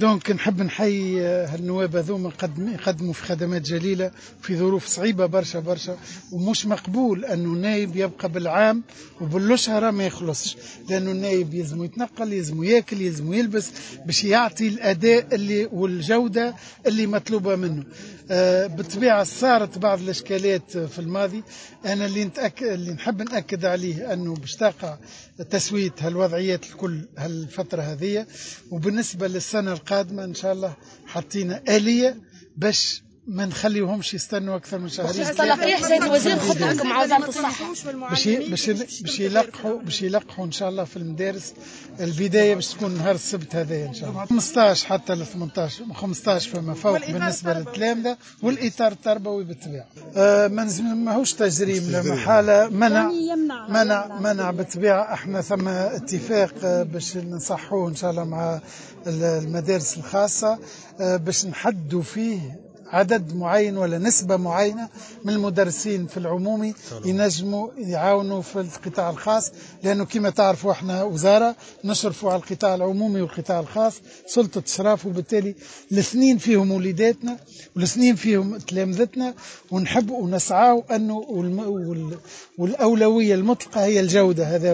donc نحب نحيي هالنواب هذوما يقدموا في خدمات جليلة في ظروف صعيبة برشا برشا، ومش مقبول انه نايب يبقى بالعام وبالشهره ما يخلصش، لانه النايب يلزم يتنقل، يلزم ياكل، يلزم يلبس باش يعطي الاداء اللي والجودة اللي مطلوبه منه. بالطبيعة صارت بعض الاشكالات في الماضي. انا اللي نحب ناكد عليه انه باش تقع تسويه هالوضعيات الكل هالفترة هذه، وبالنسبة للسنة القادمة ان شاء الله حطينا آلية باش ما نخليوهمش يستنوا اكثر من شهرين. تلقيح سيد الوزير، خطتكم مع وزارة الصحة؟ باش يلقحوا ان شاء الله في المدارس. البداية باش تكون نهار السبت هذا ان شاء الله، 15 حتى ل 18، 15 فما فوق بالنسبة للتلامذه والاطار التربوي بالطبيعة. ماهوش تجريم، لا محالة منع منع منع. بالطبيعة احنا ثم اتفاق باش نصحوه ان شاء الله مع المدارس الخاصة باش نحدوا فيه عدد معين ولا نسبة معينة من المدرسين في العمومي ينجموا يعاونوا في القطاع الخاص، لأنه كما تعرفوا احنا وزارة نشرفوا على القطاع العمومي والقطاع الخاص، سلطة إشراف، وبالتالي الاثنين فيهم وليداتنا والاثنين فيهم تلامذتنا، ونحب ونسعى أنه والأولوية المطلقة هي الجودة هذا.